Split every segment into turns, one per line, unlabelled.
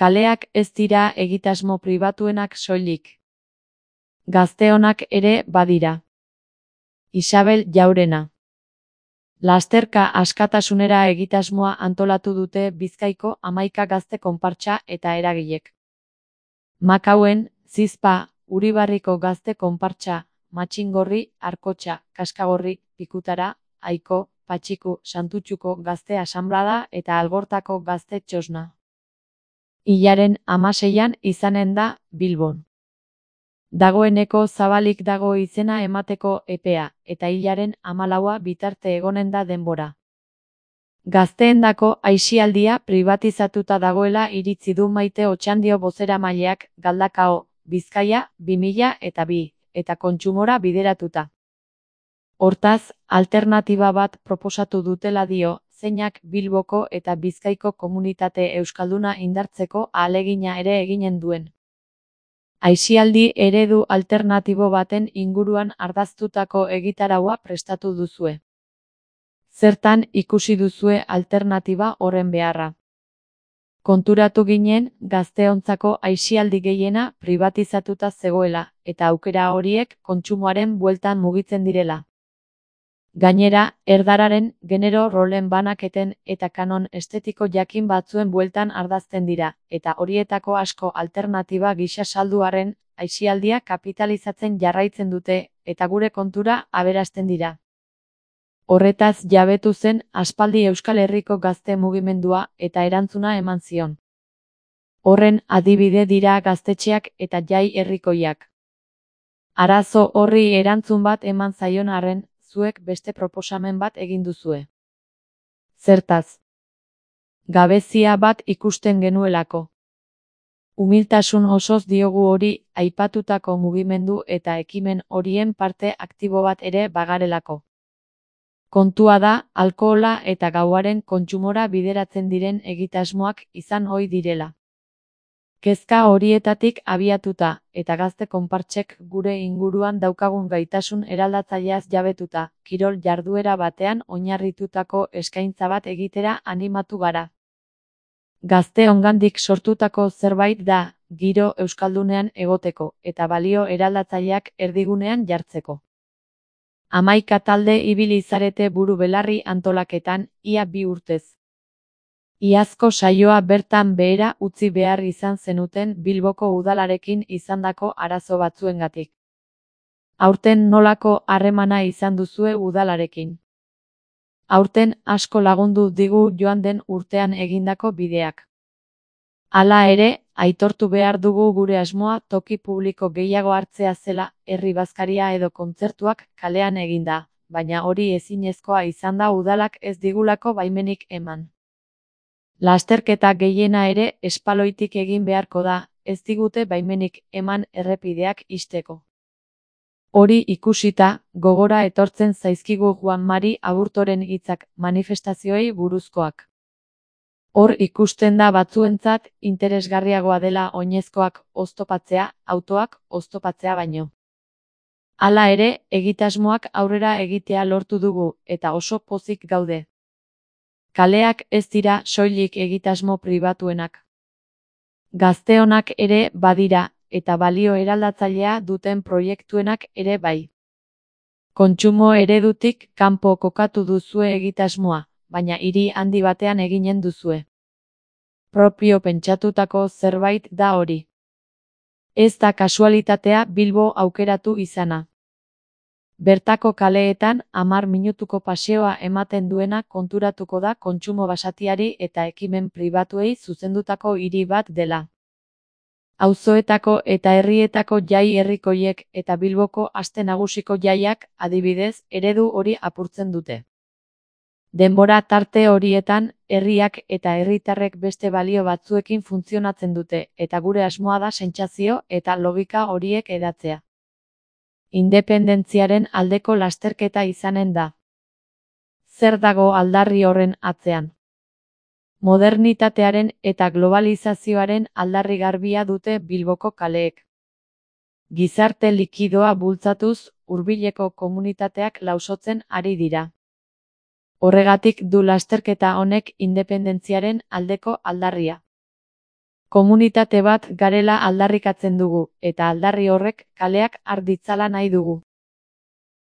Kaleak ez dira egitasmo pribatuenak soilik. Gazteonak ere badira. Isabel Jaurena. Lasterka askatasunera egitasmoa antolatu dute Bizkaiko 11 gazte konpartsa eta eragilek. Makauen, Zizpa, Uribarriko gazte konpartsa, Matxingorri, Arkotxa, Kaskagorri, Pikutara, Aiko, Patxiku, Santutxuko gazte asanblada eta Algortako gazte txosna. Hilaren 16an izanen da Bilbon. Dagoeneko zabalik dago izena emateko epea, eta hilaren 14a bitarte egonen da denbora. Gazteendako aisialdia pribatizatuta dagoela iritzi du Maite Otxandio bozeramaileak Galdakao, Bizkaia 2002, eta kontsumora bideratuta. Hortaz, alternatiba bat proposatu dutela dio, zeinak Bilboko eta Bizkaiko komunitate euskalduna indartzeko ahalegina ere eginen duen. Aisialdi eredu alternatibo baten inguruan ardaztutako egitaraua prestatu duzue. Zertan ikusi duzue alternatiba horren beharra? Konturatu ginen, gazteontzako aisialdi gehiena pribatizatuta zegoela, eta aukera horiek kontsumoaren bueltan mugitzen direla. Gainera, erdararen, genero rolen banaketen eta kanon estetiko jakin batzuen bueltan ardazten dira, eta horietako asko alternatiba gisa salduaren, aisialdia kapitalizatzen jarraitzen dute, eta gure kontura aberasten dira. Horretaz jabetu zen aspaldi Euskal Herriko gazte mugimendua eta erantzuna eman zion. Horren adibide dira gaztetxeak eta jai herrikoiak. Arazo horri erantzun bat eman zaion arren, zuek beste proposamen bat egin duzue. Zertaz? Gabezia bat ikusten genuelako. Umiltasun osoz diogu hori aipatutako mugimendu eta ekimen horien parte aktibo bat ere bagarelako. Kontua da, alkohola eta gauaren kontsumora bideratzen diren egitasmoak izan ohi direla. Kezka horietatik abiatuta, eta gazte konpartsek gure inguruan daukagun gaitasun eraldatzaileaz jabetuta, kirol jarduera batean oinarritutako eskaintza bat egitera animatu gara. Gazteongandik sortutako zerbait da, giro euskaldunean egoteko, eta balio eraldatzaileak erdigunean jartzeko. 11 talde ibili zarete buru belarri antolaketan, ia 2 urtez. Iazko saioa bertan behera utzi behar izan zenuten Bilboko udalarekin izandako arazo batzuengatik. Aurten nolako harremana izan duzue udalarekin? Aurten asko lagundu digu joan den urtean egindako bideak. Hala ere, aitortu behar dugu gure asmoa toki publiko gehiago hartzea zela, herri bazkaria edo kontzertuak kalean eginda, baina hori ezinezkoa izan da udalak ez digulako baimenik eman. Lasterketa gehiena ere espaloitik egin beharko da, ez digute baimenik eman errepideak ixteko. Hori ikusita, gogora etortzen zaizkigu Juan Mari Aburtoren hitzak manifestazioei buruzkoak. Hor ikusten da batzuentzat interesgarriagoa dela oinezkoak oztopatzea, autoak oztopatzea baino. Hala ere, egitasmoak aurrera egitea lortu dugu, eta oso pozik gaude. Kaleak ez dira soilik egitasmo pribatuenak. Gazteonak ere badira, eta balio eraldatzailea duten proiektuenak ere bai. Kontsumo eredutik kanpo kokatu duzue egitasmoa, baina hiri handi batean eginen duzue. Propio pentsatutako zerbait da hori. Ez da kasualitatea Bilbo aukeratu izana. Bertako kaleetan 10 minutuko paseoa ematen duena konturatuko da kontsumo basatiari eta ekimen pribatuei zuzendutako hiri bat dela. Auzoetako eta herrietako jai herrikoiek eta Bilboko aste nagusiko jaiak, adibidez, eredu hori apurtzen dute. Denbora tarte horietan, herriak eta herritarrek beste balio batzuekin funtzionatzen dute, eta gure asmoa da sentsazio eta logika horiek hedatzea. Independentziaren aldeko lasterketa izanen da. Zer dago aldarri horren atzean? Modernitatearen eta globalizazioaren aldarri garbia dute Bilboko kaleek. Gizarte likidoa bultzatuz, hurbileko komunitateak lausotzen ari dira. Horregatik du lasterketa honek independentziaren aldeko aldarria. Komunitate bat garela aldarrikatzen dugu, eta aldarri horrek kaleak har ditzala nahi dugu.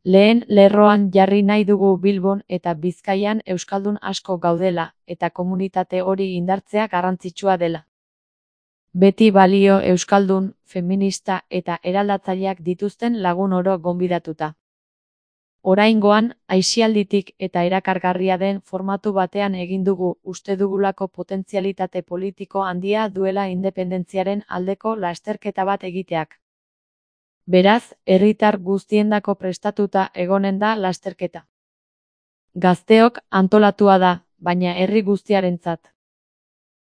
Lehen lerroan jarri nahi dugu Bilbon eta Bizkaian euskaldun asko gaudela, eta komunitate hori indartzea garrantzitsua dela. Beti balio euskaldun, feminista eta eraldatzaileak dituzten lagun oro gonbidatuta. Oraingoan, aisialditik eta erakargarria den formatu batean egin dugu, uste dugulako potentzialitate politiko handia duela independentziaren aldeko lasterketa bat egiteak. Beraz, herritar guztiendako prestatuta egonen da lasterketa. Gazteok antolatua da, baina herri guztiarentzat.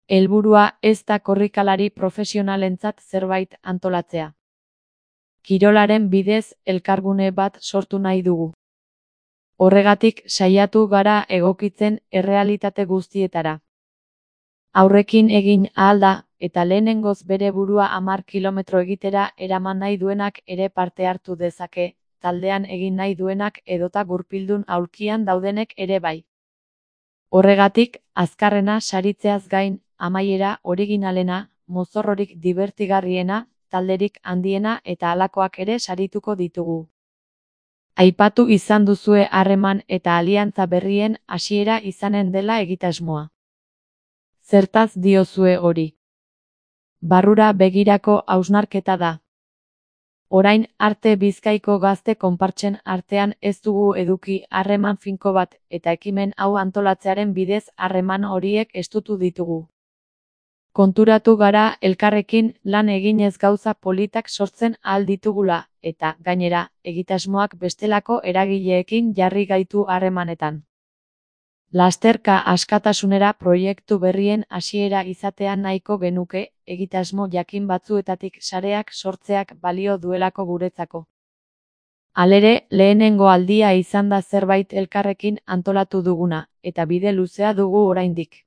Helburua ez da korrikalari profesionalentzat zerbait antolatzea. Kirolaren bidez elkargune bat sortu nahi dugu. Horregatik saiatu gara egokitzen errealitate guztietara. Aurrekin egin ahal da, eta lehenengoz bere burua 10 kilometro egitera eraman nahi duenak ere parte hartu dezake, taldean egin nahi duenak edota gurpildun aulkian daudenek ere bai. Horregatik, azkarrena saritzeaz gain, amaiera originalena, mozorrorik dibertigarriena, talderik handiena eta halakoak ere sarituko ditugu. Aipatu izan duzue harreman eta aliantza berrien hasiera izanen dela egitasmoa. Zertaz diozue hori? Barrura begirako hausnarketa da. Orain arte Bizkaiko gazte konpartsen artean ez dugu eduki harreman finko bat, eta ekimen hau antolatzearen bidez harreman horiek estutu ditugu. Konturatu gara elkarrekin lan eginez gauza politak sortzen ahal ditugula, eta, gainera, egitasmoak bestelako eragileekin jarri gaitu harremanetan. Lasterka askatasunera proiektu berrien hasiera izatea nahiko genuke, egitasmo jakin batzuetatik sareak sortzeak balio duelako guretzako. Halere, lehenengo aldia izan da zerbait elkarrekin antolatu duguna, eta bide luzea dugu oraindik.